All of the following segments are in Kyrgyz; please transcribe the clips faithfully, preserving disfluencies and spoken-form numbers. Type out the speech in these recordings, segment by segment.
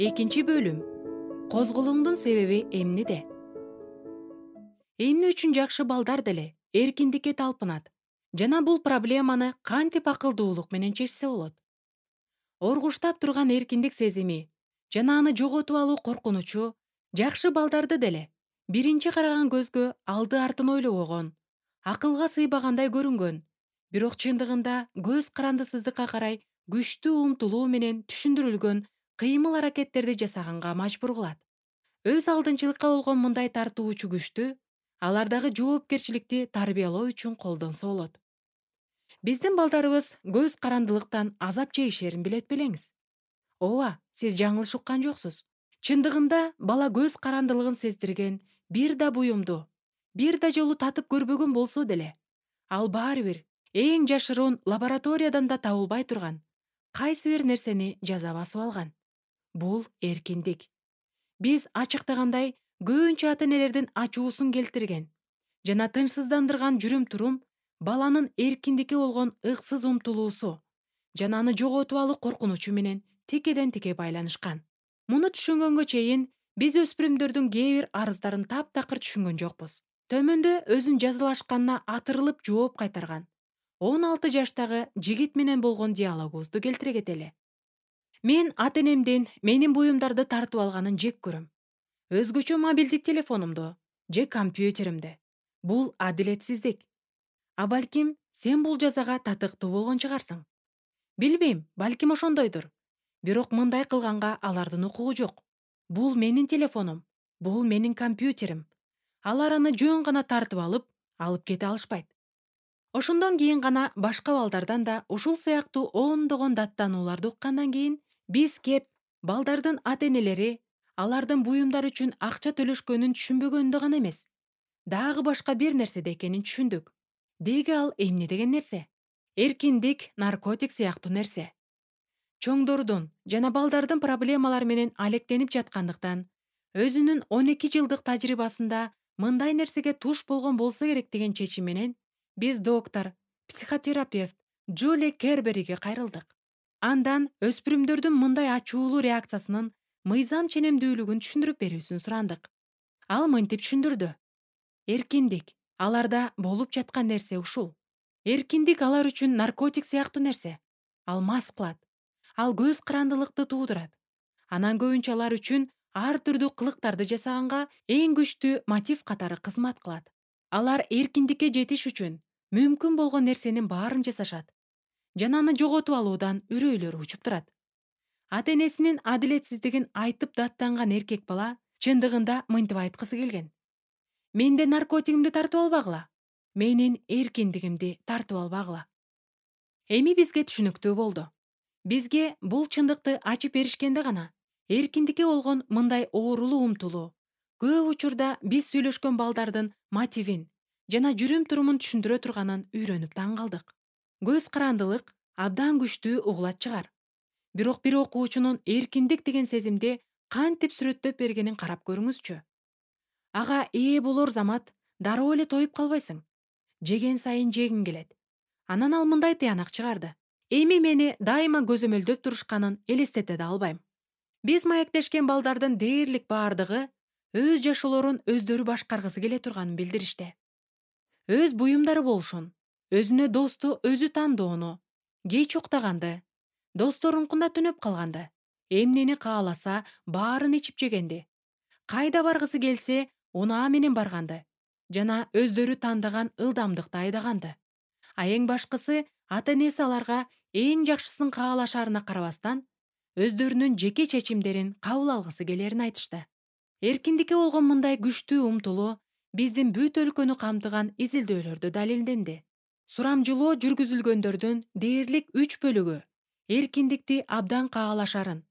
Экинчи бөлүм. Козголуңдун себеби эмнеде? Эмне үчүн жакшы балдар деле эркиндикке талпынат жана бул проблеманы кантип акылдуулук менен чечсе болот? Оргуштап турган эркиндик сезими жана аны жоготуп алуу коркунучу жакшы балдарды деле биринчи караган көзгө алды артын ойлобогон, акылга сыйбагандай көрүнгөн, бирок чындыгында көз карандысыздыкка карай күчтүү умтулуу менен түшүндүрүлгөн кыймыл аракеттерди жасаганга мажбур кылат. Өз алдынчылыкка болгон мындай тартуучу күчтү алардагы жоопкерчиликти тарбиялоо үчүн колдонсо болот. Биздин балдарыбыз көз карандылыктан азап чегишерин билет белеңиз? Ооба, сиз жаңылыш уккан жоксуз. Чындыгында бала көз карандылыгын сездирген бир да буюмду, бир да жолу татып көрбөгөн болсо деле, ал баары бир эң жашыруун лабораториядан да табылбай турган кайсы бир нерсени жаза басып алган. Бул эркиндик. Биз ачыктагандай көбүнчө ата-энелердин ачуусун келтирген жана тынчсыздандырган жүрүм-турум баланын эркиндикке болгон ыксыз умтулуусу жана аны жоготуп алуу коркунучу менен текеден-теке байланышкан. Муну түшүнгөнгө чейин биз өспүрүмдөрдүн кээ бир арыздарын таптакыр түшүнгөн жокпуз. Төмөндө өзүн жазалашканына атырылып жооп кайтарган он алты жаштагы жигит менен болгон диалогубузду келтире кетели. Мен ата-энемдин менин буюмдарды тартып алганын жек көрөм. Өзгөчө мобилдик телефонумду же компьютеримди. Бул адилетсиздик. А балким сен бул жазага татыктуу болгон чыгарсың. Билбейм, балким ошондойдур. Бирок мындай кылганга алардын укугу жок. Бул менин телефонум, бул менин компьютерим. Алар аны жөн гана тартып алып, алып кете алышпайт. Ошондон кийин гана башка балдардан да ушул сыяктуу ондогон даттанууларды уккандан кийин биз кеп балдардын ата-энелери алардын буюмдар үчүн акча төлөшкөнүн түшүнбөгөндө гана эмес, дагы башка бир нерседе экенин түшүндүк. Деги ал эмне деген нерсе? Эркиндик, наркотик сыяктуу нерсе. Чоңдордун жана балдардын проблемалары менен алектенип жаткандыктан, өзүнүн он эки жылдык тажрыйбасында мындай нерсеге туш болгон болсо керек деген чечим менен биз доктор, психотерапевт Джули Кербериге кайрылдык. Андан өспүрүмдөрдүн мындай ачуулуу реакциясынын мыйзам ченемдүүлүгүн түшүндүрүп берүүсүн сурандык. Ал мынтип түшүндүрдү. Эркиндик аларда болуп жаткан нерсе ушул. Эркиндик алар үчүн наркотик сыяктуу нерсе. Ал мас кылат. Ал көз карандылыкты туудурат. Анан көбүнчө алар үчүн ар түрдүү кылыктарды жасаганга эң күчтүү мотив катары кызмат кылат. Алар эркиндикке жетиш үчүн мүмкүн болгон нерсенин баарын жасашат жана аны жоготуп алуудан үрөйлөрү учуп турат. Ата-энесинин адилетсиздигин айтып даттанган эркек бала чындыгында мынтип айткысы келген. Менде наркотигимди тартып албагыла, менин эркиндигимди тартып албагыла. Эми бизге түшүнүктүү болду. Бизге бул чындыкты ачып беришкенде гана эркиндикке болгон мындай оорулуу умтулуу көп учурда биз сүйлөшкөн балдардын мотивин жана жүрүм-турумун түшүндүрө турганын үйрөнүп таң калдык. Көз карандылык абдан күчтүү угулат чыгар. Бирок бир окуучунун эркиндик деген сезимди кантип сүрөттөп бергенин карап көрүңүзчү. Ага ээ болор замат дароо эле тоюп калбайсың. Жеген сайын жегиң келет. Анан ал мындай тыянак чыгарды. Эми мени дайыма көзөмөлдөп турушканын элестете да албайм. Биз маектешкен балдардын дээрлик баардыгы өз жашоолорун өздөрү башкаргысы келе турганын билдиришти. Өз буюмдары болушун, өзүнө досту өзү тандоону, кеч уктаганды, досторункунда түнөп калганды, эмнени кааласа баарын ичип жегенди, кайда баргысы келсе унаа менен барганды жана өздөрү тандаган ылдамдыкта айдаганды. А эң башкысы ата-энеси аларга эң жакшысын каалашарына карабастан өздөрүнүн жеке чечимдерин кабыл алгысы келерин айтышты. Эркиндикке болгон мындай күчтүү умтулуу биздин бүт өлкөнү камтыган изилдөөлөрдө далилденди. Сурамжылоо жүргүзүлгөндөрдүн дээрлик үч бөлүгү эркиндикти абдан каалашарын,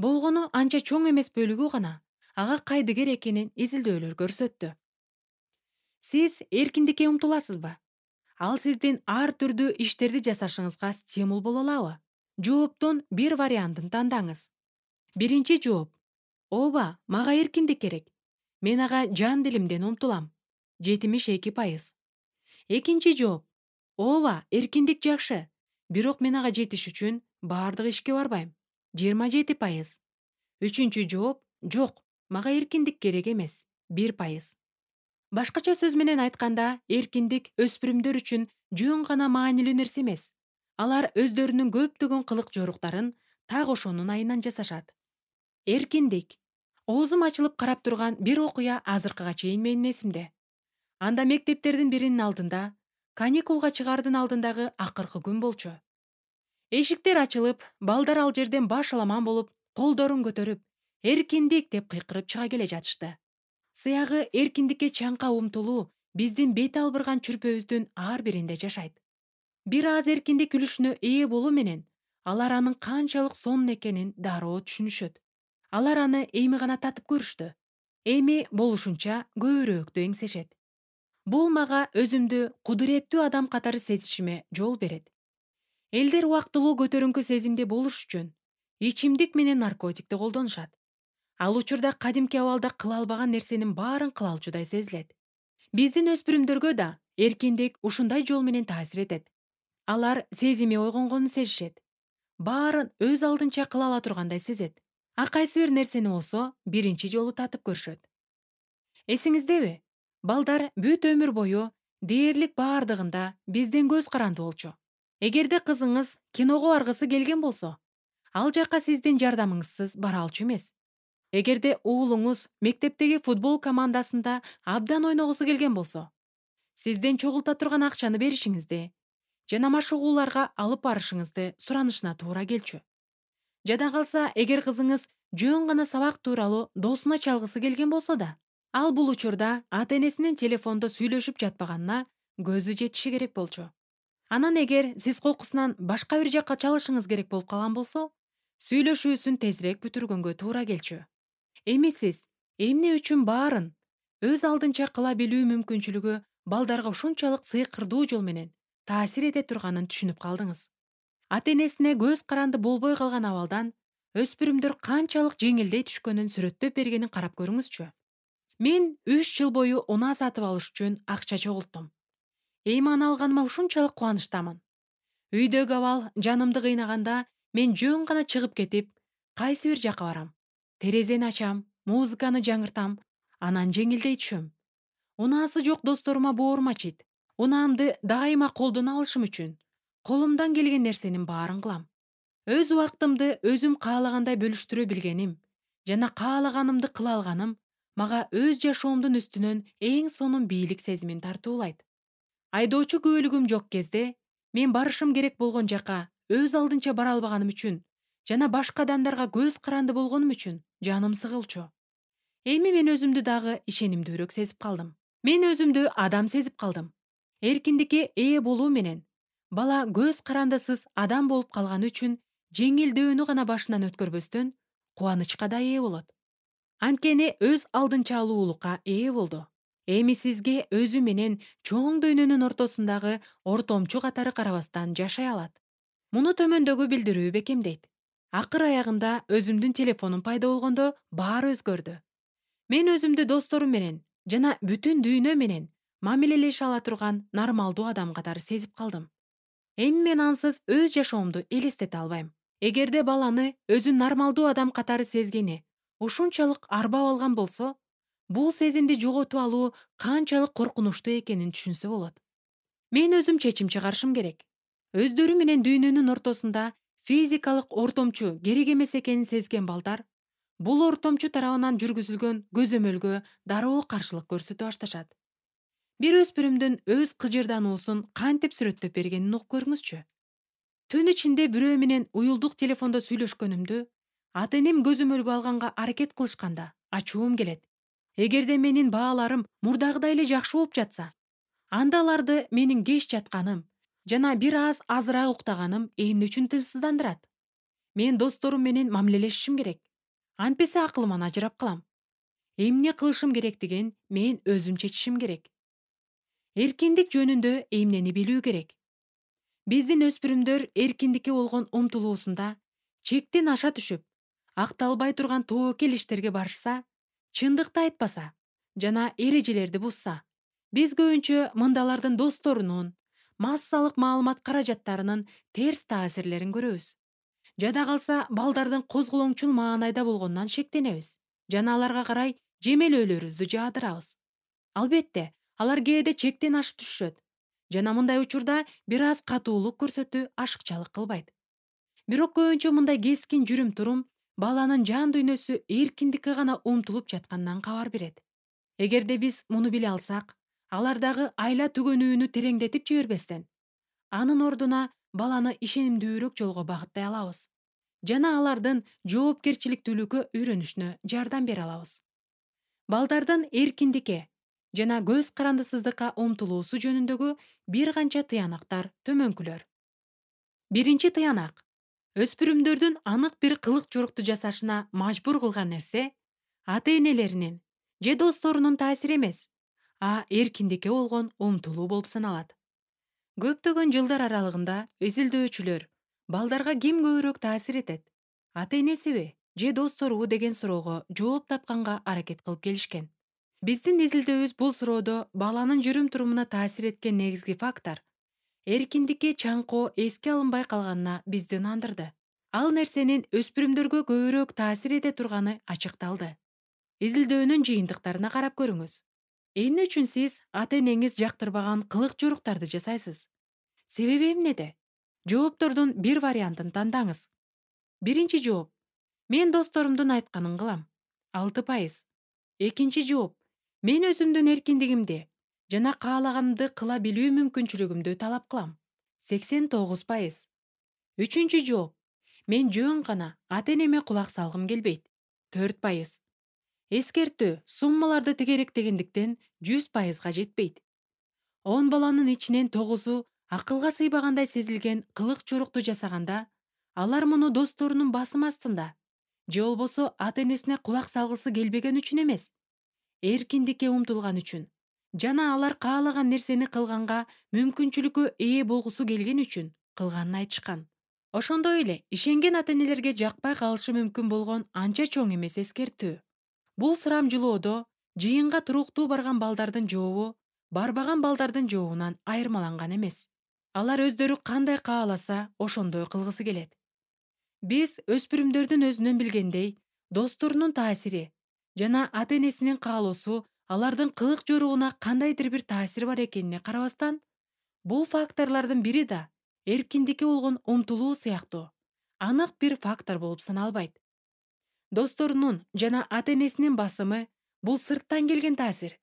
болгону анча чоң эмес бөлүгү гана ага кайдыгер экенин изилдөөлөр көрсөттү. Сиз эркиндикке умтуласызбы? Ал сиздин ар түрдүү иштерди жасашыңызга стимул боло алабы? Жооптун бир вариантын тандаңыз. Биринчи жооп: ооба, мага эркиндик керек. Мен ага жан дилимден умтулам. жетимиш эки пайыз. Экинчи жооп: ооба, эркиндик жакшы, бирок мен ага жетиш үчүн баардык ишке барбайм. жыйырма жети пайыз. Үчүнчү жооп: жок, мага эркиндик керек эмес. бир пайыз. Башкача сөз менен айтканда, эркиндик өспүрүмдөр үчүн жөн гана маанилүү нерсе эмес. Алар өздөрүнүн көптөгөн кылык жоруктарын так ошонун айынан жасашат. Эркиндик. Оозум ачылып карап турган бир окуя азыркыга чейин менин эсимде. Анда мектептердин биринин алдында, каникулга чыгаардын алдындагы акыркы күн болчу. Эшиктер ачылып, балдар ал жерден баш аламан болуп, колдорун көтөрүп, эркиндик деп кыйкырып чыга келе жатышты. Сыягы эркиндикке чаңка умтулуу биздин бет албырган чүрпөбүздүн ар биринде жашайт. Бир аз эркиндик үлүшүнө ээ болуу менен, алар анын канчалык сонун экенин дароо түшүнүшөт. Алар аны эми гана татып көрүштү. Эми болушунча көбүрөөктү эңсешет. Бул мага өзүмдү кудуреттүү адам катары сезишиме жол берет. Элдер убактылуу көтөрүңкү сезимде болуш үчүн ичимдик менен наркотикти колдонушат. Ал учурда кадимки абалда кыла албаган нерсенин баарын кыла алчудай сезилет. Биздин өспүрүмдөргө да эркиндик ушундай жол менен таасир этет. Алар сезими ойгонгонун сезишет. Баарын өз алдынча кыла ала тургандай сезет. А кайсы бир нерсени болсо биринчи жолу татып көрүшөт. Эсиңиздеби? Балдар бүт өмүр бою дээрлик баардыгында бизден көз каранды болчу. Эгерде кызыңыз киного баргысы келген болсо, ал жака сиздин жардамыңызсыз бара алчу эмес. Эгерде уулуңуз мектептеги футбол командасында абдан ойногусу келген болсо, сизден чогулта турган акчаны беришиңизди жана машыгууларга алып барышыңызды суранышына туура келчү. Жада калса, эгер кызыңыз жөн гана сабак тууралуу досуна чалгысы келген болсо да, ал бул учурда ата-энесинин телефондо сүйлөшүп жатпаганына көзү жетиши керек болчу. Анан эгер сиз коркусунан башка бир жакка чалышыңыз керек болуп калган болсо, сүйлөшүүсүн тезирээк бүтүргөнгө туура келчү. Эми сиз эмне үчүн баарын өз алдынча кыла билүү мүмкүнчүлүгү балдарга ушунчалык сыйкырдуу жол менен таасир эте турганын түшүнүп калдыңыз. Ата-энесине көз каранды болбой калган абалдан өспүрүмдөр канчалык жеңилдей түшкөнүн сүрөттөп бергенин карап көрүңүзчү. Мен үч жыл бою унаа сатып алыш үчүн акча чогулттум. Эми аны алганыма ушунчалык кубанычтамын. Үйдөгү абал жанымды кыйнаганда, мен жөн гана чыгып кетип, кайсы бир жакка барам. Терезени ачам, музыканы жаңыртам, анан жеңилдей түшөм. Унаасы жок досторума боорум ачыйт. Унаамды дайыма колдоно алышым үчүн колумдан келген нерсенин баарын кылам. Өз убактымды өзүм каалагандай бөлүштүрө билгеним жана каалаганымды кыла алганым мага өз жашоомдун үстүнөн эң сонун бийлик сезимин тартуулайт. Айдоочу күбөлүгүм жок кезде мен барышым керек болгон жака өз алдынча бара албаганым үчүн жана башка адамдарга көз каранды болгонум үчүн жаным сыгылчу. Эми мен өзүмдү дагы ишенимдүүрөөк сезип калдым. Мен өзүмдү адам сезип калдым. Эркиндикке ээ болуу менен бала көз карандысыз адам болуп калганы үчүн жеңилдөөнү гана башынан өткөрбөстөн кубанычка да ээ болот. Анткени өз алдынча алуулукка ээ болду. Эми сизге өзү менен чоң дүйнөнүн ортосундагы ортомчу катары карабастан жашай алат. Муну төмөндөгү билдирүү бекемдейт. Акыр аягында өзүмдүн телефонум пайда болгондо баары өзгөрдү. Мен өзүмдү досторум менен жана бүтүн дүйнө менен мамилелеше ала турган нормалдуу адам катары сезип калдым. Эми мен ансыз өз жашоомду элестете албайм. Эгерде баланы өзүн нормалдуу адам катары сезгени ушунчалык арбап алган болсо, бул сезимди жоготуп алуу канчалык коркунучтуу экенин түшүнсө болот. Мен өзүм чечим чыгарышым керек. Өздөрү менен дүйнөнүн ортосунда физикалык ортомчу керек эмес экенин сезген балдар бул ортомчу тарабынан жүргүзүлгөн көзөмөлгө дароо каршылык көрсөтө башташат. Бир өспүрүмдүн өз кыжырдануусун кантип сүрөттөп бергенин угуп көрүңүзчү. Түн ичинде бирөө менен уюлдук телефондо сүйлөшкөнүмдү ата-энем көзөмөлгө алганга аракет кылышканда ачуум келет. Эгерде менин бааларым мурдагыдай эле жакшы болуп жатса, анда аларды менин кеч жатканым жана бир аз азыраак уктаганым эмне үчүн тынчсыздандырат? Мен досторум менен мамилелешишим керек. Антпесе акылыман ажырап калам. Эмне кылышым керектигин мен өзүм чечишим керек. Эркиндик жөнүндө эмнени билүү керек? Биздин өспүрүмдөр эркиндикке болгон умтулуусунда чектен аша түшүп, акталбай турган тобокел иштерге барышса, чындыкты айтпаса жана эрежелерди бузса, биз көбүнчө мындалардын досторунун массалык маалымат каражаттарынын терс таасирлерин көрөбүз. Жада калса балдардын козголоңчул маанайда болгонунан шектенебиз жана аларга карай жемелөөлөрүбүздү жаадырабыз. Албетте, алар кээде чектен ашып түшүшөт жана мындай учурда бир аз катуулук көрсөтүү ашыкчалык кылбайт. Бирок көбүнчө мындай кескин жүрүм-турум баланын жан дүйнөсү эркиндикке гана умтулуп жатканынан кабар берет. Эгерде биз муну биле алсак, алардагы айла түгөнүүнү тереңдетип жибербестен, анын ордуна баланы ишенимдүүрөөк жолго багыттай алабыз жана алардын жоопкерчиликтүүлүккө үйрөнүшүнө жардам бере алабыз. Балдардын эркиндикке жана көз карандысыздыкка умтулуусу жөнүндөгү бир канча тыянактар төмөнкүлөр. Биринчи тыянак: өспүрүмдөрдүн анык бир кылык жорукту жасашына мажбур кылган нерсе ата-энелеринин же досторунун таасири эмес, а эркиндикке болгон умтулуу болуп саналат. Көптөгөн жылдар аралыгында изилдөөчүлөр балдарга ким көбүрөөк таасир этет, ата-энесиби же досторубу деген суроого жооп тапканга аракет кылып келишкен. Биздин изилдөөбүз бул суроодо баланын жүрүм-турумуна таасир эткен негизги фактор эркиндикке чаңкоо эске алынбай калганына бизди ынандырды. Ал нерсенин өспүрүмдөргө көбүрөөк таасир эте турганы ачыкталды. Изилдөөнүн жыйынтыктарына карап көрүңүз. Эмне үчүн сиз ата-энеңиз жактырбаган кылык жоруктарды жасайсыз? Себеби эмнеде? Жооптордун бир вариантын тандаңыз. Биринчи жооп: мен досторумдун айтканын кылам. алты пайыз. Экинчи жооп: мен өзүмдүн эркиндигимди жана каалаганымды кыла билүү мүмкүнчүлүгүмдү талап кылам. сексен тогуз пайыз. Үчүнчү жооп: мен жөн гана ата-энеме кулак салгым келбейт. төрт пайыз. Эскертүү: суммаларды тегеректегендиктен жүз пайызга жетпейт. он баланын ичинен тогузу акылга сыйбагандай сезилген кылык жорукту жасаганда, алар муну досторунун басымы астында же болбосо ата-энесине кулак салгысы келбеген үчүн эмес, эркиндикке умтулган үчүн жана алар каалаган нерсени кылганга мүмкүнчүлүккө ээ болгусу келген үчүн кылганын айтышкан. Ошондой эле ишенген ата-энелерге жакпай калышы мүмкүн болгон анча чоң эмес эскертүү. Бул сурамжылоодо жыйынга туруктуу барган балдардын жообу барбаган балдардын жообунан айырмаланган эмес. Алар өздөрү кандай кааласа, ошондой кылгысы келет. Биз өспүрүмдөрдүн өзүнөн билгендей, досторунун таасири жана ата-энесинин каалоосу алардын кылык жоругуна кандайдыр бир таасири бар экенине карабастан, бул факторлордун бири да эркиндикке болгон умтулуу сыяктуу анык бир фактор болуп саналбайт. Досторунун жана ата-энесинин басымы бул сырттан келген таасир,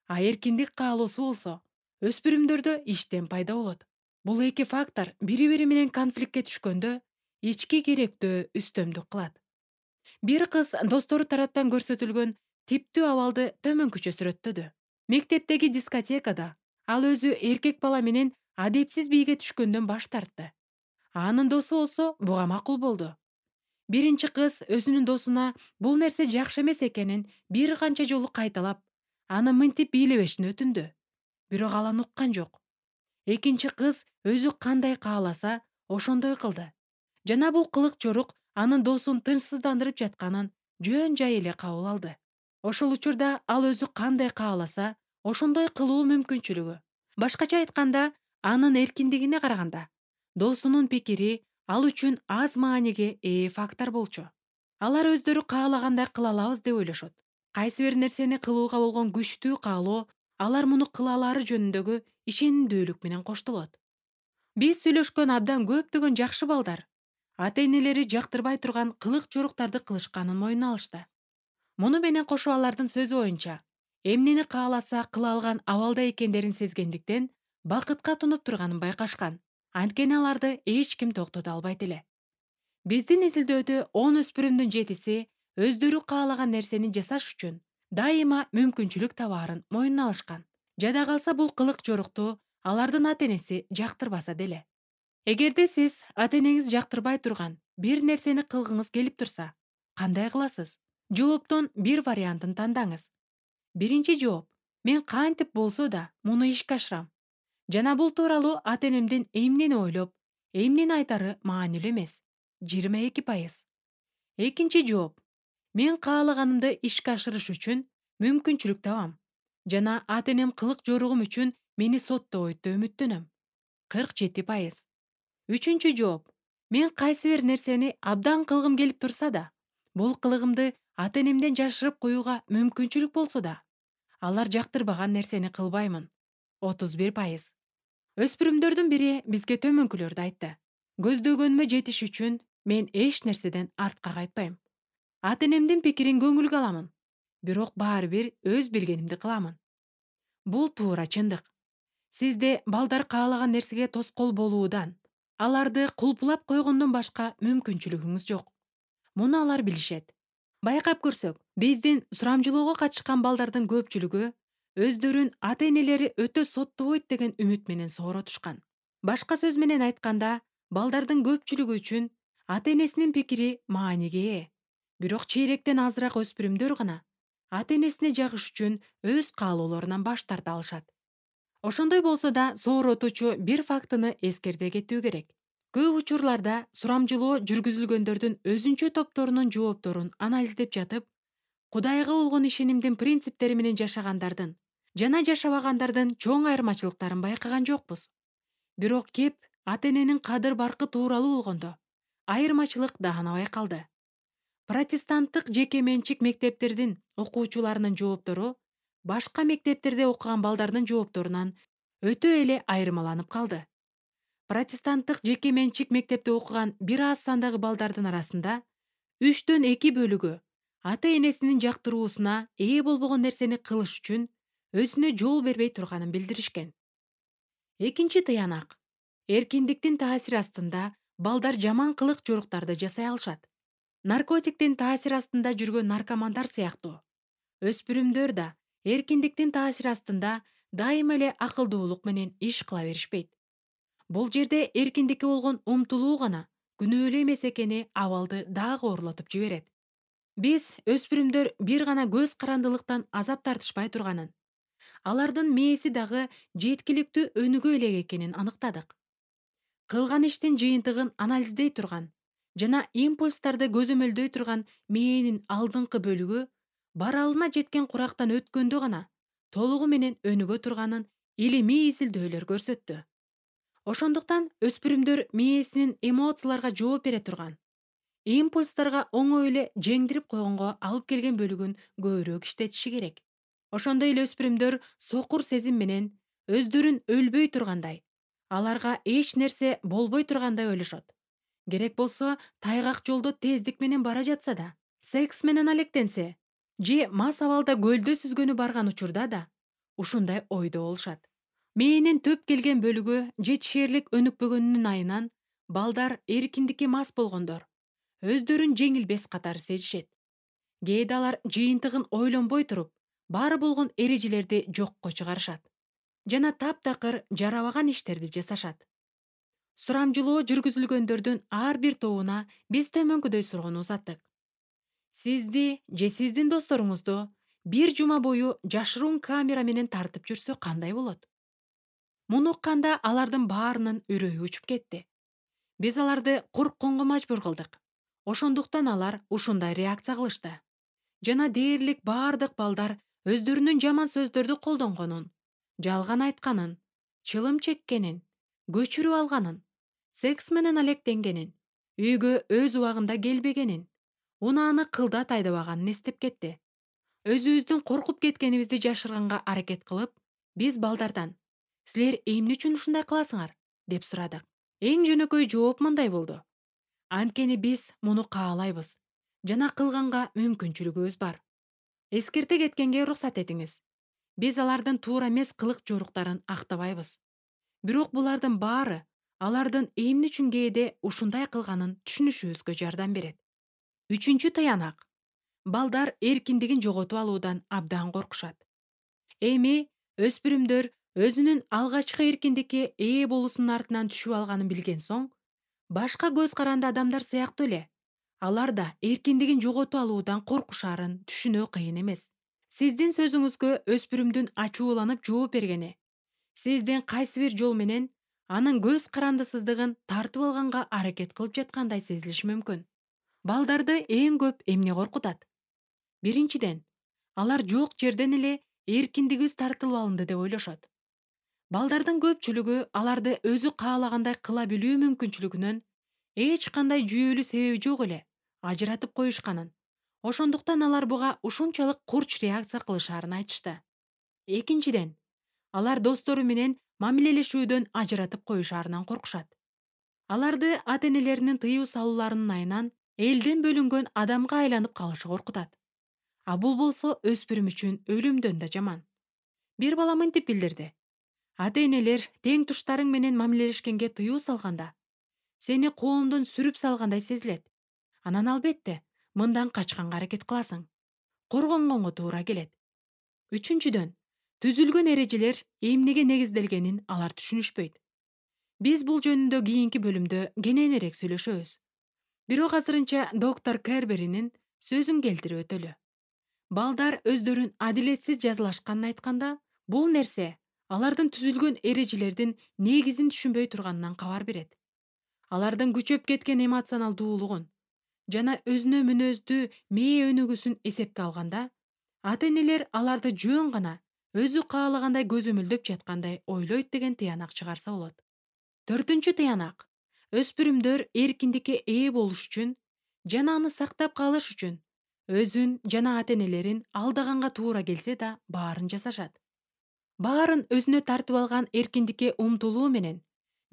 а эркиндик каалоосу болсо өспүрүмдөрдө иштен пайда болот. Бул эки фактор бири-бири менен конфликтке түшкөндө ички керектөө үстөмдүк кылат. Бир кыз достору тараптан көрсөтүлгөн типтүү абалды төмөнкүчө сүрөттөдү. Мектептеги дискотекада ал өзү эркек бала менен адепсиз бийге түшкөндөн баш тартты. Анын досу болсо буга макул болду. Биринчи кыз өзүнүн досуна бул нерсе жакшы эмес экенин бир канча жолу кайталап, аны мынтип бийлебешин өтүндү. Бирок ал аны уккан жок. Экинчи кыз өзү кандай кааласа, ошондой кылды. Жана бул кылык жорук анын досун тынчсыздандырып жатканын жөн жай эле кабыл алды. Ошол учурда ал өзү кандай кааласа, ошондой кылуу мүмкүнчүлүгү. Башкача айтканда, анын эркиндигине караганда, досунун пикири ал үчүн аз мааниге ээ фактор болчу. Алар өздөрү каалагандай кыла алабыз деп ойлошот. Кайсы бир нерсени кылууга болгон күчтүү каалоо алар муну кыла алары жөнүндөгү ишенимдүүлүк менен коштолот. Биз сүйлөшкөн абдан көптөгөн жакшы балдар ата-энелери жактырбай турган кылык жоруктарды кылышканын мойнуна алышты. Муну менен кошо алардын сөзү боюнча, эмнени кааласа кыла алган абалда экендерин сезгендиктен бакытка тунуп турганын байкашкан. Анткени аларды эч ким токтото албайт эле. Биздин изилдөөдө он өспүрүмдүн жетиси өздөрү каалаган нерсени жасаш үчүн дайыма мүмкүнчүлүк табаарын мойнуна алышкан. Жада калса бул кылык жорукту алардын ата-энеси жактырбаса деле. Эгерде сиз ата-энеңиз жактырбай турган бир нерсени кылгыңыз келип турса, кандай кыласыз? Жооптун бир вариантын тандаңыз. Биринчи жооп: мен кантип болсо да муну ишке ашырам. Жана бул тууралуу ата-энемдин эмнени ойлоп, эмнени айтары маанилүү эмес. жыйырма эки пайыз. Экинчи жооп: мен каалаганымды ишке ашырыш үчүн мүмкүнчүлүк табам. Жана ата-энем кылык жоругум үчүн мени соттобойт деп үмүттөнөм. кырк жети пайыз. Үчүнчү жооп: Мен кайсы бир нерсени абдан кылгым келип турса да, бул кылыгымды ата энемден жашырып коюуга мүмкүнчүлүк болсо да, алар жактырбаган нерсени кылбаймын. отуз бир пайыз. Өспүрүмдөрдүн бири бизге төмөнкүлөрдү айтты. Көздөгөнүмө жетиш үчүн мен эч нерседен артка кайтпайм. Ата энемдин пикирин көңүлгө аламын, бирок баары бир өз билгенимди кыламын. Бул туура чындык. Сизде балдар каалаган нерсеге тоскоол болуудан, аларды кулпулап койгондон башка мүмкүнчүлүгүңүз жок. Муну алар билишет. Байкап көрсөк, биздин сурамжылоого катышкан балдардын көпчүлүгү өздөрүн ата энелери өтө соттобойт деген үмүт менен сооротушкан. Башка сөз менен айтканда, балдардын көпчүлүгү үчүн ата энесинин пикири мааниге ээ. Бирок чейректен азыраак өспүрүмдөр гана ата энесине жагыш үчүн өз каалоолорунан баш тарта алышат. Ошондой болсо да, сооротуучу бир фактыны эскерте кетүү керек. Көп учурларда сурамжылоо жүргүзүлгөндөрдүн өзүнчө топторунун жоопторун анализдеп жатып, Кудайга болгон ишенимдин принциптери менен жашагандардын жана жашабагандардын чоң айырмачылыктарын байкаган жокпуз. Бирок кеп ата эненин кадыр баркы тууралуу болгондо, айырмачылык даана байкалды. Протестанттык жеке менчик мектептердин окуучуларынын жооптору башка мектептерде окуган балдардын жоопторунан өтө эле айырмаланып калды. Протестанттык жеке менчик мектепте окуган бир аз сандагы балдардын арасында үчтөн эки бөлүгү ата энесинин жактыруусуна ээ болбогон нерсени кылыш үчүн өзүнө жол бербей турганын билдиришкен. Экинчи тыянак. Эркиндиктин таасири астында балдар жаман кылык жоруктарды жасай алышат. Наркотиктин таасири астында жүргөн наркомандар сыяктуу. Өспүрүмдөр да эркиндиктин таасири астында дайыма эле акылдуулук менен иш кыла беришпейт. Бул жерде эркиндикке болгон умтулуу гана күнөөлүү эмес экени абалды дагы оорлотуп жиберет. Биз өспүрүмдөр бир гана көз карандылыктан азап тартышпай турганын, алардын мээси дагы жеткиликтүү өнүгө элек экенин аныктадык. Кылган иштин жыйынтыгын анализдей турган жана импульстарды көзөмөлдөй турган мээнин алдыңкы бөлүгү баралына жеткен курактан өткөндө гана толугу менен өнүгө турганын илимий изилдөөлөр көрсөттү. Ошондуктан өспүрүмдөр мээсинин эмоцияларга жооп бере турган, импульстарга оңой эле жеңдирип койгонго алып келген бөлүгүн көбүрөөк иштетиши керек. Ошондой эле өспүрүмдөр сокур сезим менен өздөрүн өлбөй тургандай, аларга эч нерсе болбой тургандай ойлошот. Керек болсо тайгак жолдо тездик менен бара жатса да, секс менен алектенсе, же мас абалда көлдө сүзгөнү барган учурда да ушундай ойдо болушат. Мээнин төп келген бөлүгү жетишээрлик өнүкпөгөнүнүн айынан балдар эркиндикке мас болгондор өздөрүн жеңилбес катары сезишет. Кээде алар жыйынтыгын ойлонбой туруп, баары болгон эрежелерди жокко чыгарышат жана таптакыр жарабаган иштерди жасашат. Сурамжылоо жүргүзүлгөндөрдүн ар бир тобуна биз төмөнкүдөй суроону узаттык. Сизди же сиздин досторуңузду бир жума бою жашыруун камера менен тартып жүрсө кандай болот? Муну укканда алардын баарынын үрөйү учуп кетти. Биз аларды коркконго мажбур кылдык. Ошондуктан алар ушундай реакция кылышты. Жана дээрлик баардык балдар өздөрүнүн жаман сөздөрдү колдонгонун, жалган айтканын, чылым чеккенин, көчүрүп алганын, секс менен алектенгенин, үйгө өз убагында келбегенин, унааны кылдат айдабаганын эстеп кетти. Өзүбүздүн коркуп кеткенибизди жашырганга аракет кылып, биз балдардан «Силер эмне үчүн ушундай кыласыңар?» деп сурадык. Эң жөнөкөй жооп мындай болду. Анткени биз муну каалайбыз жана кылганга мүмкүнчүлүгүбүз бар. Эскерте кеткенге уруксат этиңиз. Биз алардын туура эмес кылык жоруктарын актабайбыз. Бирок булардын баары алардын эмне үчүн кээде ушундай кылганын түшүнүшүбүзгө жардам берет. Үчүнчү таянак. Балдар эркиндигин жоготуп алуудан абдан коркушат. Эми өспүрүмдөр өзүнүн алгачкы эркиндикке ээ болуусунун артынан түшүп алганын билген соң, башка көз каранды адамдар сыяктуу эле алар да эркиндигин жоготуп алуудан коркушаарын түшүнүү кыйын эмес. Сиздин сөзүңүзгө өспүрүмдүн ачууланып жооп бергени, сиздин кайсы бир жол менен анын көз карандысыздыгын тартып алганга аракет кылып жаткандай сезилиши мүмкүн. Балдарды эң көп эмне коркутат? Биринчиден, алар жок жерден эле эркиндигибиз тартылып алынды деп ойлошот. Балдардын көпчүлүгү аларды өзү каалагандай кыла билүү мүмкүнчүлүгүнөн эч кандай жүйөлүү себеби жок эле ажыратып коюшканын, ошондуктан алар буга ушунчалык курч реакция кылышаарын айтышты. Экинчиден, алар достору менен мамилелешүүдөн ажыратып коюшаарынан коркушат. Аларды ата-энелеринин тыюу салууларынын айынан элден бөлүнгөн адамга айланып калышы коркутат. А бул болсо өспүрүм үчүн өлүмдөн да жаман. Бир бала мынтип билдирди: ата-энелер тең туштарың менен мамилелешкенге тыюу салганда, сени коомдон сүрүп салгандай сезилет. Анан албетте, мындан качканга аракет кыласың. Коргонгонго туура келет. Үчүнчүдөн, түзүлгөн эрежелер эмнеге негизделгенин алар түшүнүшпөйт. Биз бул жөнүндө кийинки бөлүмдө кененирээк сүйлөшөбүз. Бирок азырынча доктор Керберинин сөзүн келтирип өтөлү. Балдар өздөрүн адилетсиз жазалашканын айтканда, бул нерсе алардын түзүлгөн эрежелердин негизин түшүнбөй турганынан кабар берет. Алардын күчөп кеткен эмоционалдуулугун жана өзүнө мүнөздүү мээ өнүгүүсүн эсепке алганда, ата-энелер аларды жөн гана өзү каалагандай көзөмөлдөп жаткандай ойлойт деген тыянак чыгарса болот. Төртүнчү тыянак: өспүрүмдөр эркиндикке ээ болуш үчүн жана аны сактап калыш үчүн өзүн жана ата-энелерин алдаганга туура келсе да баарын жасашат. Баарын өзүнө тартып алган эркиндикке умтулуу менен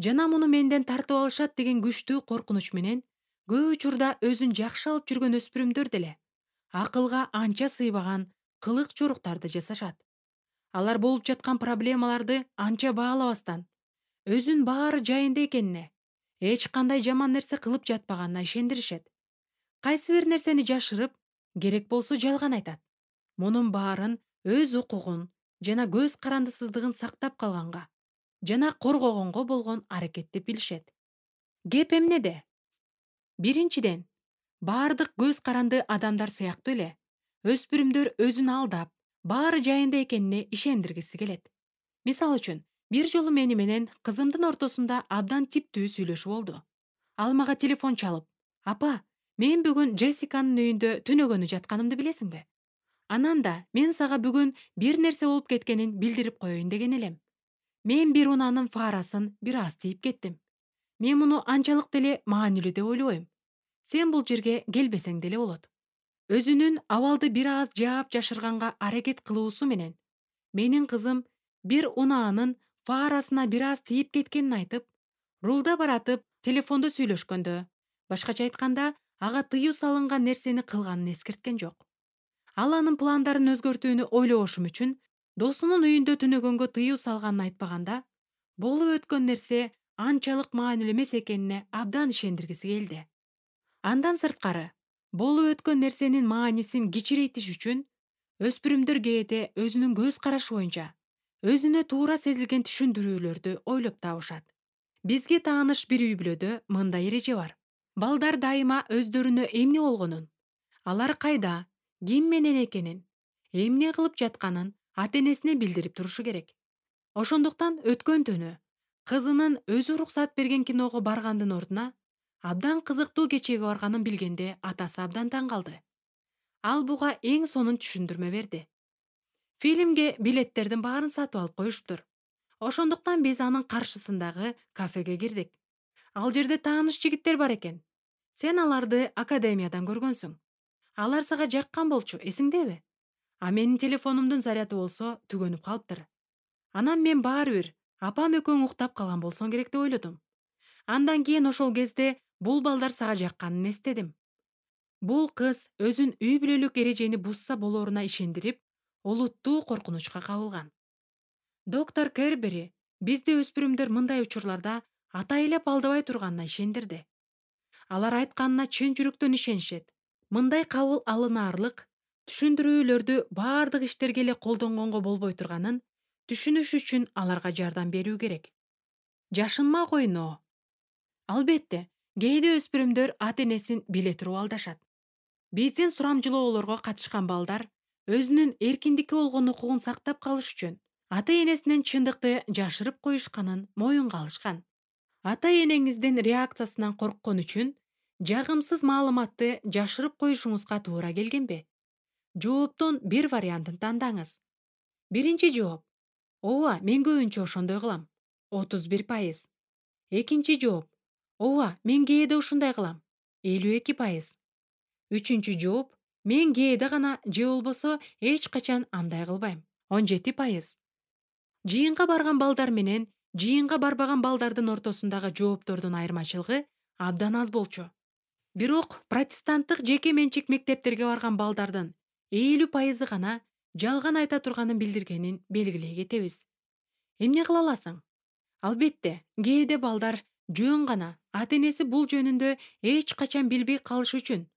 жана муну менден тартып алышат деген күчтүү коркунуч менен көп учурда өзүн жакшы алып жүргөн өспүрүмдөр деле акылга анча сыйбаган кылык жоруктарды жасашат. Алар болуп жаткан проблемаларды анча баалабастан, өзүн баары жайында экенине, эч кандай жаман нерсе кылып жатпаганына ишендиришет. Кайсы бир нерсени жашырып, керек болсо жалган айтат. Мунун баарын өз укугун жана көз карандысыздыгын сактап калганга жана коргогонго болгон аракет деп билишет. Кеп эмнеде? Биринчиден, баардык көз каранды адамдар сыяктуу эле өспүрүмдөр өзүн алдап, баары жайында экенине ишендиргиси келет. Мисалы үчүн, бир жолу мени менен кызымдын ортосунда абдан типтүү сүйлөшүү болду. Ал мага телефон чалып: "Апа, мен бүгүн Джессиканын үйүндө түнөгөнү жатканымды билесиңби? Анан да мен сага бүгүн бир нерсе болуп кеткенин билдирип коеюн деген элем. Мен бир унаанын фарасын бир аз тийип кеттим. Мен муну анчалык деле маанилүү деп ойлобойм. Сен бул жерге келбесең деле болот." Өзүнүн абалды бир аз жаап жашырганга аракет кылуусу менен менин кызым бир унаанын фарасына бир аз тийип кеткенин айтып, рулда баратып телефондо сүйлөшкөндө, башкача айтканда, ага тыюу салынган нерсени кылганын эскерткен жок. Ал анын пландарын өзгөртүүнү ойлобошум үчүн досунун үйүндө түнөгөнгө тыюу салганын айтпаганда, болуп өткөн нерсе анчалык маанилүү эмес экенине абдан ишендиргиси келди. Андан сырткары, болуп өткөн нерсенин маанисин кичирейтиш үчүн өспүрүмдөр кээде өзүнүн көз карашы боюнча өзүнө туура сезилген түшүндүрүүлөрдү ойлоп табышат. Бизге тааныш бир үй-бүлөдө мындай эреже бар. Балдар дайыма өздөрүнө эмне болгонун, алар кайда, ким менен экенин, эмне кылып жатканын ата-энесине билдирип турушу керек. Ошондуктан өткөн түнү кызынын өзү уруксат берген киного баргандын ордуна абдан кызыктуу кечеге барганын билгенде атасы абдан таң калды. Ал буга эң сонун түшүндүрмө берди. Фильмге билеттердин баарын сатып алып коюшуптур. Ошондуктан биз анын каршысындагы кафеге кирдик. Ал жерде тааныш жигиттер бар экен. Сен аларды академиядан көргөнсүң. Алар сага жаккан болчу, эсиңдеби? А менин телефонумдун заряды болсо түгөнүп калыптыр. Анан мен баары бир апам экөөң уктап калган болсоң керек деп ойлодум. Андан кийин ошол кезде бул балдар сага жакканын эстедим. Бул кыз өзүн үй бүлөлүк эрежени бузса болоруна ишендирип, олуттуу коркунучка кабылган. Доктор Кербери бизди өспүрүмдөр мындай учурларда атайлап алдабай турганына ишендирди. Алар айтканына чын жүрөктөн ишенишет. Мындай кабыл алынаарлык түшүндүрүүлөрдү баардык иштерге эле колдонгонго болбой турганын түшүнүш үчүн аларга жардам берүү керек. Жашынма койноо. Албетте, кээде өспүрүмдөр ата-энесин биле туруп алдашат. Биздин сурамжылоолорго катышкан балдар өзүнүн эркиндикке болгон укугун сактап калыш үчүн ата-энесинен чындыкты жашырып коюшканын моюнга алышкан. Ата-энеңиздин реакциясынан корккон үчүн жагымсыз маалыматты жашырып коюшуңузга туура келгенби? Жооптон бир вариантын тандаңыз. Биринчи жооп: ооба, мен көбүнчө ошондой кылам. отуз бир пайыз. Экинчи жооп: Ооба, мен кээде ушундай кылам. элүү эки пайыз. Үчүнчү жооп: мен кээде гана же болбосо эч качан андай кылбайм. он жети пайыз. Жыйынга барган балдар менен жыйынга барбаган балдардын ортосундагы жооптордун айырмачылыгы абдан аз болчу. Бирок протестанттык жеке менчик мектептерге барган балдардын элүү пайызы гана жалган айта турганын билдиргенин белгилей кетебиз. Эмне кыла аласың? Албетте, кээде балдар жөн гана ата-энеси бул жөнүндө эч качан билбей калышы үчүн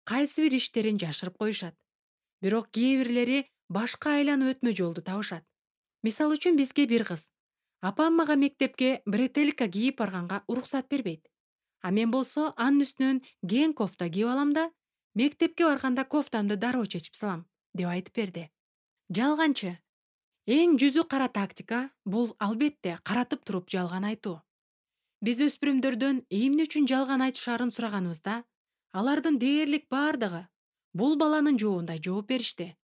кайсы бир иштерин жашырып коюшат. Бирок кээ бирлери башка айланып өтмө жолду табышат. Мисал үчүн бизге бир кыз: апам мага мектепке бретелка кийип барганга уруксат бербейт. А мен болсо анын үстүнөн кең кофта кийип алам да мектепке барганда кофтамды дароо чечип салам, деп айтып берди. Жалганчы. Эң жүзү кара тактика бул албетте каратып туруп жалган айтуу. Биз өспүрүмдөрдөн эмне үчүн жалган айтышаарын сураганыбызда, алардын дээрлик бардыгы бул баланын жообундай жооп беришти.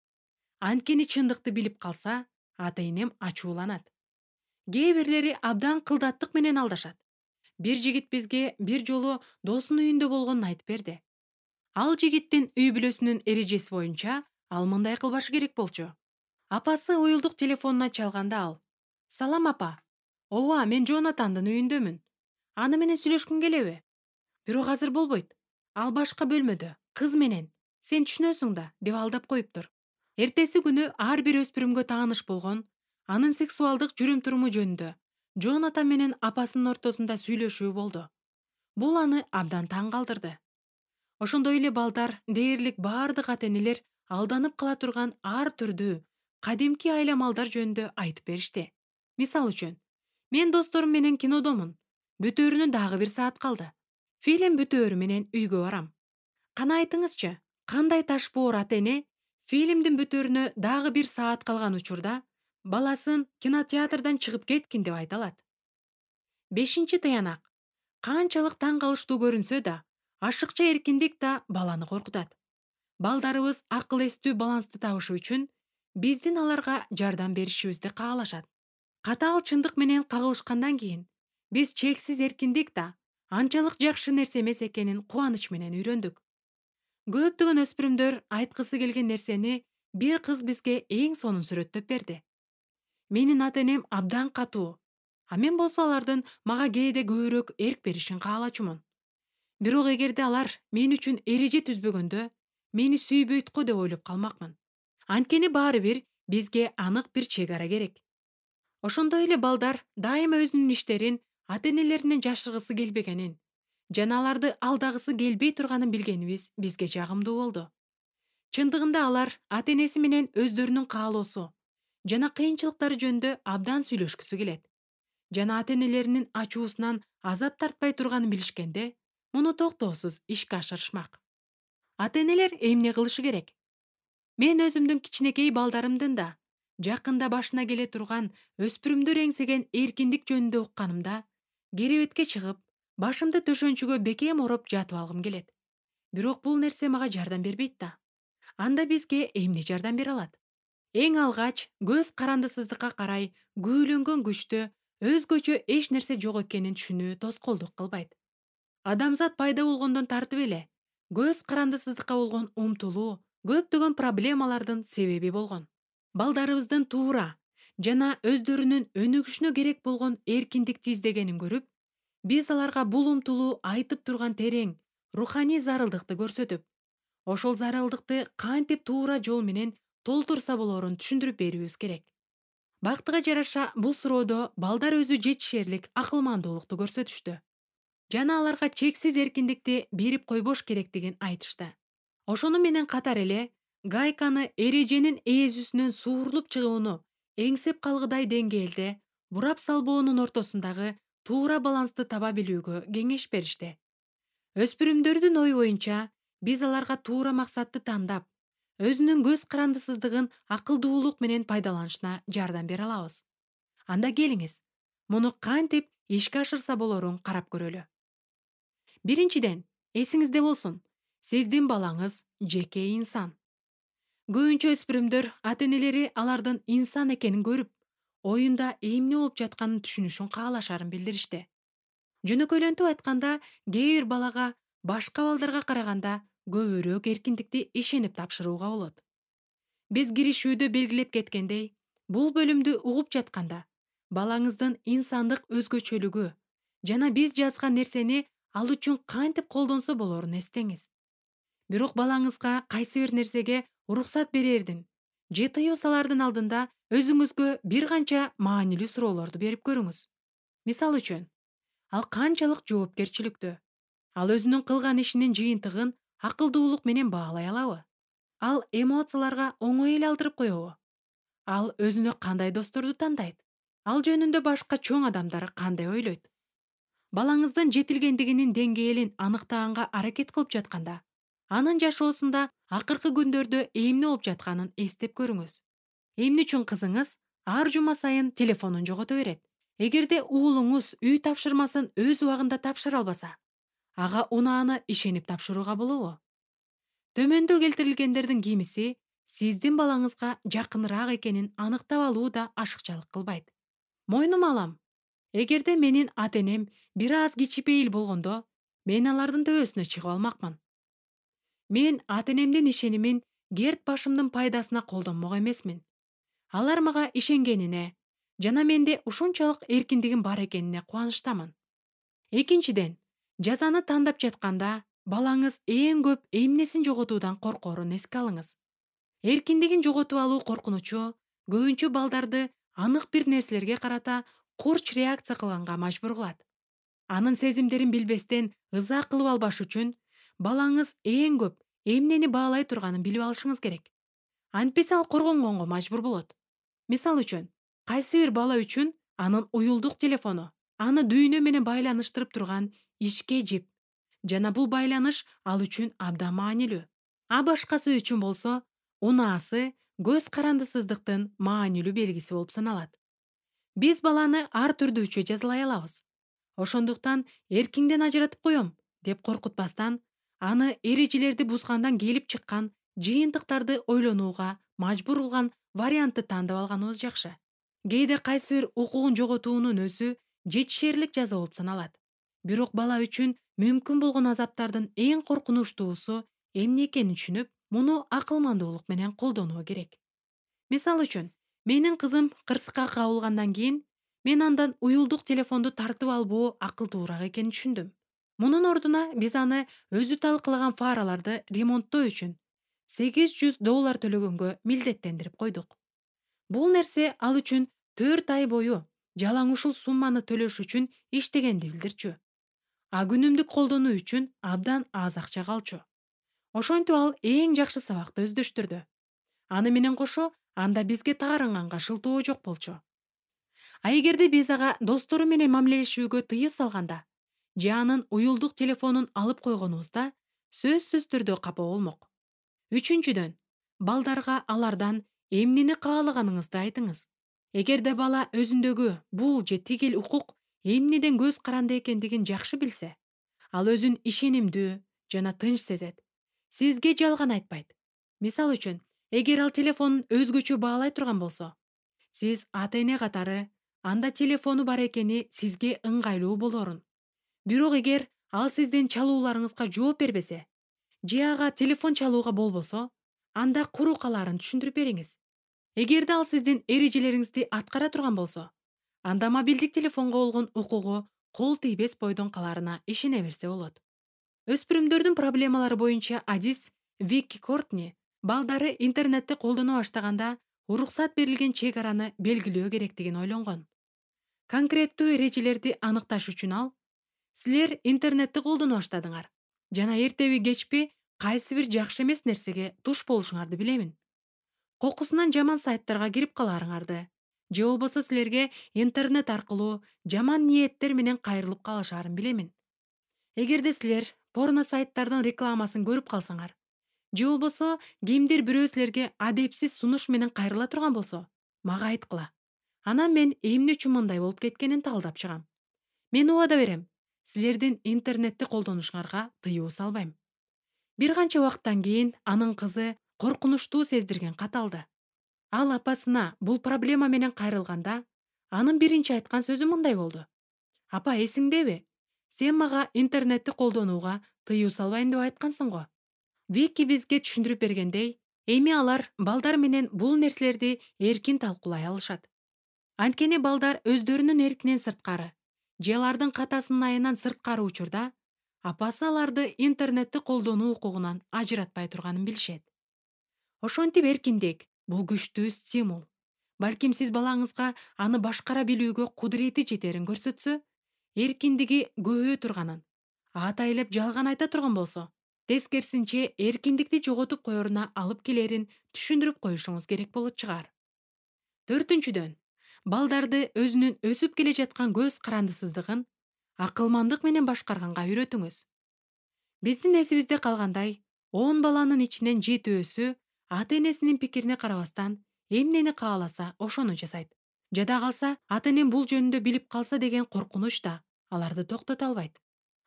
Анткени чындыкты билип калса, ата-энем ачууланат. Кээ бирлери абдан кылдаттык менен алдашат. Бир жигит бизге бир жолу досунун үйүндө болгонун айтып берди. Ал жигиттин үй бүлөсүнүн эрежеси боюнча ал мындай кылбашы керек болчу. Апасы уюлдук телефонуна чалганда ал: «Салам апа. Ооба, мен Жонатандын үйүндөмүн. Аны менен сүйлөшкүң келеби? Бирок азыр болбойт. Ал башка бөлмөдө, кыз менен. Сен түшүнөсүң да», деп алдап коюптур. Эртеси күнү ар бир өспүрүмгө тааныш болгон, анын сексуалдык жүрүм-туруму жөнүндө Жонатан менен апасынын ортосунда сүйлөшүү болду. Бул аны абдан таң калтырды. Ошондой эле балдар дээрлик бардык ата-энелер алданып кала турган ар түрдүү кадимки айламалдар жөнүндө айтып беришти. Мисал үчүн: мен досторум менен кинодомун. Бүтөөрүнө дагы бир саат калды. Фильм бүтөөрү менен үйгө барам. Кана айтыңызчы, кандай таш боор ата-эне фильмдин бүтөөрүнө дагы бир саат калган учурда баласын кинотеатрдан чыгып кеткин деп айта алат? Бешинчи таянак. Канчалык таң калыштуу көрүнсө да, ашыкча эркиндик да баланы коркутат. Балдарыбыз акыл эстүү балансты табышы үчүн биздин аларга жардам беришибизди каалашат. Катаал чындык менен кагылышкандан кийин биз чексиз эркиндик да анчалык жакшы нерсе эмес экенин кубаныч менен үйрөндүк. Көптөгөн өспүрүмдөр айткысы келген нерсени бир кыз бизге эң сонун сүрөттөп берди. Менин ата-энем абдан катуу, а мен болсо алардын мага кээде көбүрөөк эрк беришин каалачумун. Бирок эгерде алар мен үчүн эреже түзбөгөндө, мени сүйбөйт го деп ойлоп калмакмын. Анткени баары бир бизге анык бир чек ара керек. Ошондой эле балдар дайыма өзүнүн иштерин ата-энелеринен жашыргысы келбегенин жана аларды алдагысы келбей турганын билгенибиз бизге жагымдуу болду. Чындыгында алар ата-энеси менен өздөрүнүн каалоосу жана кыйынчылыктары жөнүндө абдан сүйлөшкүсү келет. Жана ата-энелеринин ачуусунан азап тартпай турганын билишкенде, муну токтоосуз ишке ашырышмак. Ата-энелер эмне кылышы керек? Мен өзүмдүн кичинекей балдарымдын да жакында башына келе турган өспүрүмдөр эңсеген эркиндик жөнүндө укканымда, керебетке чыгып, башымды төшөнчүгө бекем ороп жатып алгым келет. Бирок бул нерсе мага жардам бербейт да. Анда бизге эмне жардам бере алат? Эң алгач көз карандысыздыкка карай күүлөнгөн күчтө өзгөчө эч нерсе жок экенин түшүнүү тоскоолдук кылбайт. Адамзат пайда болгондон тартып эле көз карандысыздыкка болгон умтулуу көптөгөн проблемалардын себеби болгон. Балдарыбыздын туура жана өздөрүнүн өнүгүшүнө керек болгон эркиндикти издегенин көрүп, биз аларга бул умтулуу айтып турган терең руханий зарылдыкты көрсөтүп, ошол зарылдыкты кантип туура жол менен толтурса болоорун түшүндүрүп берүүбүз керек. Бактыга жараша бул суроодо балдар өзү жетишерлик акылмандуулукту көрсөтүштү. Жана аларга чексиз эркиндикти берип койбош керектигин айтышты. Ошону менен катар эле гайканы эреженин ээзүсүнөн суурулуп чыгууну эңсеп калгыдай деңгээлде бурап салбоонун ортосундагы туура балансты таба билүүгө кеңеш беришти. Өспүрүмдөрдүн ою боюнча, биз аларга туура максатты тандап, өзүнүн көз карандысыздыгын акылдуулук менен пайдаланышына жардам бере алабыз. Анда келиңиз, муну кантип ишке ашырса болоорун карап көрөлү. Биринчиден, эсиңизде болсун, сиздин балаңыз жеке инсан. Көбүнчө өспүрүмдөр ата-энелери алардын инсан экенин көрүп, оюнда эмне болуп жатканын түшүнүшүн каалашарын билдиришти. Жөнөкөйлөнтүп айтканда, кээ бир балага башка балдарга караганда көбүрөөк эркиндикти ишенип тапшырууга болот. Биз киришүүдө белгилеп кеткендей, бул бөлүмдү угуп жатканда, балаңыздын инсандык өзгөчөлүгү жана биз жазган нерсени ал үчүн кантип колдонсо болорун эстеңиз. Бирок балаңызга кайсы бир нерсеге уруксат берердин же тыюу салардын алдында өзүңүзгө бир канча маанилүү суроолорду берип көрүңүз. Мисалы үчүн, ал канчалык жоопкерчиликтүү? Ал өзүнүн кылган ишинин жыйынтыгын акылдуулук менен баалай алабы? Ал эмоцияларга оңой эле алдырып коебу? Ал өзүнө кандай досторду тандайт? Ал жөнүндө башка чоң адамдар кандай ойлойт? Балаңыздын жетилгендигинин деңгээлин аныктаганга аракет кылып жатканда, анын жашоосунда акыркы күндөрдө эмне болуп жатканын эстеп көрүңүз. Эмне үчүн кызыңыз ар жума сайын телефонун жогото берет? Эгерде уулуңуз үй тапшырмасын өз убагында тапшыра албаса, ага унааны ишенип тапшырууга болобу? Төмөндө келтирилгендердин кимиси сиздин балаңызга жакыныраак экенин аныктап алуу да ашыкчалык кылбайт. Мойнума алам. Эгерде менин ата-энем бир аз кичипейил болгондо, мен алардын төбөсүнө чыгып алмакмын. Мен ата-энемдин ишенимин керт башымдын пайдасына колдонмок эмесмин. Алар мага ишенгенине жана менде ушунчалык эркиндигим бар экенине кубанычтамын. Экинчиден, жазаны тандап жатканда балаңыз эң көп эмнесин жоготуудан коркоорун эске алыңыз. Эркиндигин жоготуп алуу коркунучу көбүнчө балдарды анык бир нерселерге карата курч реакция кылганга мажбур кылат. Анын сезимдерин билбестен ыза кылып албаш үчүн балаңыз эң көп эмнени баалай турганын билип алышыңыз керек. Антпесе ал коргонгонго мажбур болот. Мисалы үчүн, кайсы бир бала үчүн анын уюлдук телефону аны дүйнө менен байланыштырып турган ишке жип, жана бул байланыш ал үчүн абдан маанилүү. А башкасы үчүн болсо, унаасы көз карандысыздыктын маанилүү белгиси болуп саналат. Биз баланы ар түрдүүчө жазалай алабыз. Ошондуктан эркиңден ажыратып коем деп коркутпастан, аны эрежелерди бузгандан келип чыккан жыйынтыктарды ойлонууга мажбур кылган вариантты тандап алганыбыз жакшы. Кээде кайсы бир укугун жоготуунун өзү жетишерлик жаза болуп саналат. Бирок бала үчүн мүмкүн болгон азаптардын эң коркунучтуусу эмне экенин түшүнүп, муну акылмандуулук менен колдонуу керек. Мисалы үчүн, менин кызым кырсыкка кабылгандан кийин мен андан уюлдук телефонду тартып албоо акылдуураак экенин түшүндүм. Мунун ордуна биз аны өзү талкалаган фараларды ремонттоо үчүн сегиз жүз доллар төлөгөнгө милдеттендирип койдук. Бул нерсе ал үчүн төрт ай бою жалаң ушул сумманы төлөш үчүн иштегенди билдирчү. А күнүмдүк колдонуу үчүн абдан аз акча калчу. Ошентип ал эң жакшы сабакты өздөштүрдү. Аны менен кошо анда бизге таарынганга шылтоо жок болчу. А эгерде биз ага достору менен мамилелешүүгө тыюу салганда же анын уюлдук телефонун алып койгонубузда сөзсүз түрдө капа болмок. Үчүнчүдөн, балдарга алардан эмнени каалаганыңызды айтыңыз. Эгерде бала өзүндөгү бул же тигил укук эмнеден көз каранды экендигин жакшы билсе, ал өзүн ишенимдүү жана тынч сезет. Сизге жалган айтпайт. Мисалы үчүн, эгер ал телефонун өзгөчө баалай турган болсо, сиз ата-эне катары анда телефону бар экени сизге ыңгайлуу болорун. Бирок эгер ал сиздин чалууларыңызга жооп бербесе, же ага телефон чалууга болбосо, анда куру калаарын түшүндүрүп бериңиз. Эгерде ал сиздин эрежелериңизди аткара турган болсо, анда мобилдик телефонго болгон укугу кол тийбес бойдон каларына ишене берсе болот. Өспүрүмдөрдүн проблемалары боюнча адис Вики Кортни балдары интернетти колдоно баштаганда уруксат берилген чек араны белгилөө керектигин ойлонгон. Конкреттүү эрежелерди аныкташ үчүн ал: силер интернетти колдоно баштадыңар жана эртеби кечпи кайсы бир жакшы эмес нерсеге туш болушуңарды билемин. Кокусунан жаман сайттарга кирип калаарыңарды, же болбосо силерге интернет аркылуу жаман ниеттер менен кайрылып калышаарын билемин. Эгерде силер порно сайттардын рекламасын көрүп калсаңар, же болбосо кимдир бирөө силерге адепсиз сунуш менен кайрыла турган болсо, мага айткыла. Анан мен эмне үчүн мындай болуп кеткенин талдап чыгам. Мен убада берем, силердин интернетти колдонушуңарга тыюу салбайм. Бир канча убакыттан кийин анын кызы коркунучтуу сездирген кат алды. Ал апасына бул проблема менен кайрылганда, анын биринчи айткан сөзү мындай болду: "Апа, эсиңдеби? Сен мага интернетти колдонууга тыюу салбайм деп айткансың го. Вики бизге түшүндүрүп бергендей, эми алар балдар менен бул нерселерди эркин талкуулай алышат. Анткени балдар өздөрүнүн эркинен сырткары же алардын катасынын айынан сырткары учурда апасы аларды интернетти колдонуу укугунан ажыратпай турганын билишет. Ошентип эркиндик бул күчтүү стимул. Балким сиз балаңызга аны башкара билүүгө кудурети жетерин көрсөтсө, эркиндиги көбөйө турганын, атайлап жалган айта турган болсо, тескерисинче эркиндикти жоготуп коеруна алып келерин түшүндүрүп коюшуңуз керек болот чыгар. Төртүнчүдөн, балдарды өзүнүн өсүп келе жаткан көз карандысыздыгын акылмандык менен башкарганга үйрөтүңүз. Биздин эсибизде калгандай, он баланын ичинен жетөөсү ата-энесинин пикирине карабастан эмнени кааласа ошону жасайт. Жада калса, ата-энем бул жөнүндө билип калса деген коркунуч да аларды токтото албайт.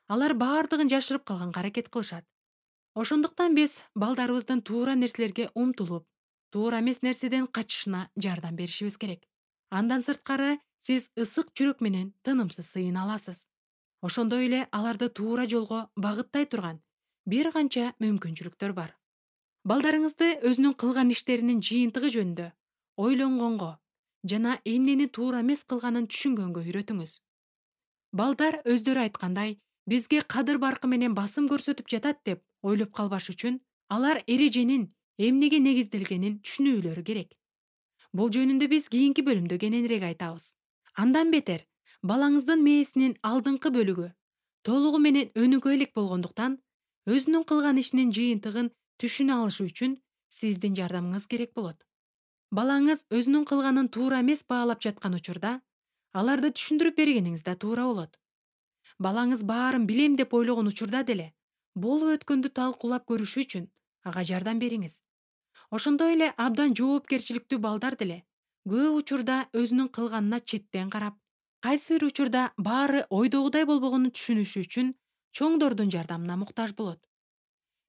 Алар баардыгын жашырып калганга аракет кылышат. Ошондуктан биз балдарыбыздын туура нерселерге умтулуп, туура эмес нерседен качышына жардам беришибиз керек. Андан сырткары, сиз ысык жүрөк менен тынымсыз сыйына аласыз. Ошондой эле аларды туура жолго багыттай турган бир канча мүмкүнчүлүктөр бар. Балдарыңызды өзүнүн кылган иштеринин жыйынтыгы жөнүндө ойлонгонго жана эмнени туура эмес кылганын түшүнгөнгө үйрөтүңүз. Балдар өздөрү айткандай, бизге кадыр баркы менен басым көрсөтүп жатат деп ойлоп калбаш үчүн алар эреженин эмнеге негизделгенин түшүнүүлөрү керек. Бул жөнүндө биз кийинки бөлүмдө кененирээк айтабыз. Андан бетер, балаңыздын мээсинин алдыңкы бөлүгү толугу менен өнүгө элек болгондуктан, өзүнүн кылган ишинин жыйынтыгын түшүнө алышы үчүн сиздин жардамыңыз керек болот. Балаңыз өзүнүн кылганын туура эмес баалап жаткан учурда, аларды түшүндүрүп бергениңиз да туура болот. Балаңыз баарын билем деп ойлогон учурда деле, болуп өткөндү талкуулап көрүшү үчүн ага жардам бериңиз. Ошондой эле абдан жоопкерчиликтүү балдар деле көп учурда өзүнүн кылганына четтен карап, кайсы бир учурда баары ойдогудай болбогонун түшүнүшү үчүн чоңдордун жардамына муктаж болот.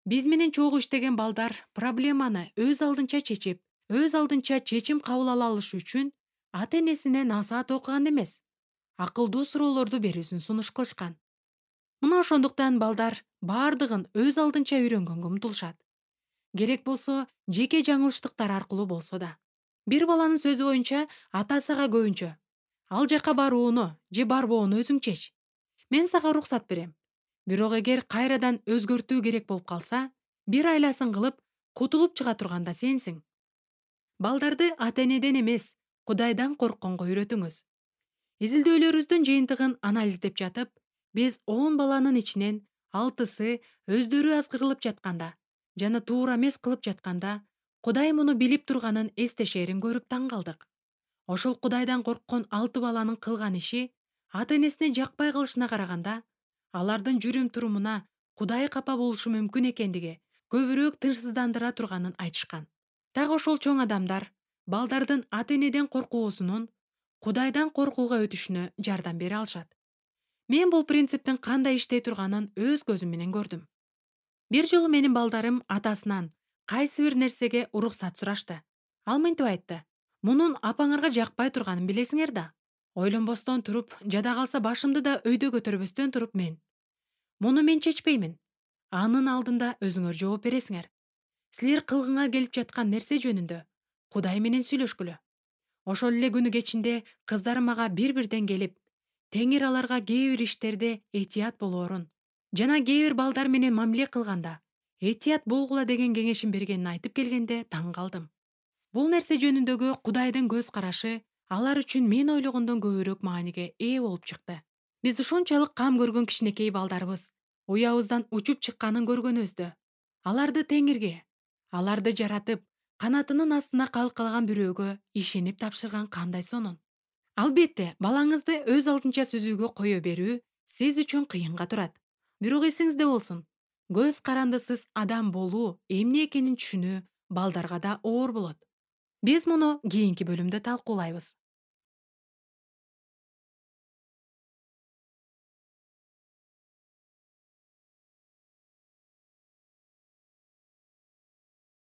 Биз менен чогуу иштеген балдар проблеманы өз алдынча чечип, өз алдынча чечим кабыл ала алышы үчүн ата-энесине насаат окуган эмес, акылдуу суроолорду берүүсүн сунуш кылышкан. Мына ошондуктан балдар баардыгын өз алдынча үйрөнгөнгө умтулушат. Керек болсо, жеке жаңылыштыктар аркылуу болсо да. Бир баланын сөзү боюнча, атасы ага көбүнчө: "Ал жака барууну же барбоону өзүң чеч. Мен сага уруксат берем. Бирок эгер кайрадан өзгөртүү керек болуп калса, бир айласын кылып, кутулуп чыга турган да сенсиң." Балдарды ата-энеден эмес, Кудайдан коркконго үйрөтүңүз. Изилдөөлөрүбүздүн жыйынтыгын анализдеп жатып, биз он баланын ичинен алтысы өздөрү азгырылып жатканда жана туура эмес кылып жатканда, Кудай муну билип турганын эстешерин көрүп таң калдык. Ошол Кудайдан корккон алты баланын кылган иши ата-энесине жакпай калышына караганда, алардын жүрүм-турумуна Кудай капа болушу мүмкүн экендиги көбүрөөк тынчсыздандыра турганын айтышкан. Так ошол чоң адамдар балдардын ата-энеден коркуусунун Кудайдан коркууга өтүшүнө жардам бере алышат. Мен бул принциптин кандай иштей турганын өз көзүм менен көрдүм. Бир жолу менин балдарым атасынан кайсы бир нерсеге уруксат сурашты. Ал мынтип айтты: "Мунун апаңарга жакпай турганын билесиңер да." Ойлонбостон туруп, жада калса башымды да өйдө көтөрбөстөн туруп мен: "Муну мен чечпеймин. Анын алдында өзүңөр жооп бересиңер. Силер кылгыңар келип жаткан нерсе жөнүндө Кудай менен сүйлөшкүлө." Ошол эле күнү кечинде кыздарым мага бир-бирден келип, Теңир аларга кээ бир иштерде этият болоорун жана кээ бир балдар менен мамиле кылганда этият болгула деген кеңешин бергенин айтып келгенде таң калдым. Бул нерсе жөнүндөгү Кудайдын көз карашы алар үчүн мен ойлогондон көбүрөөк мааниге ээ болуп чыкты. Биз ушунчалык кам көргөн кичинекей балдарыбыз уябыздан учуп чыкканын көргөнүбүздө, аларды Теңирге, аларды жаратып, канатынын астына калкалаган бирөөгө ишенип тапшырган кандай сонун. Албетте, балаңызды өз алдынча сүзүүгө кое берүү сиз үчүн кыйынга турат. Бирок эсиңизде болсун, көз карандысыз адам болуу эмне экенин түшүнүү балдарга да оор болот. Биз муну кийинки бөлүмдө талкуулайбыз.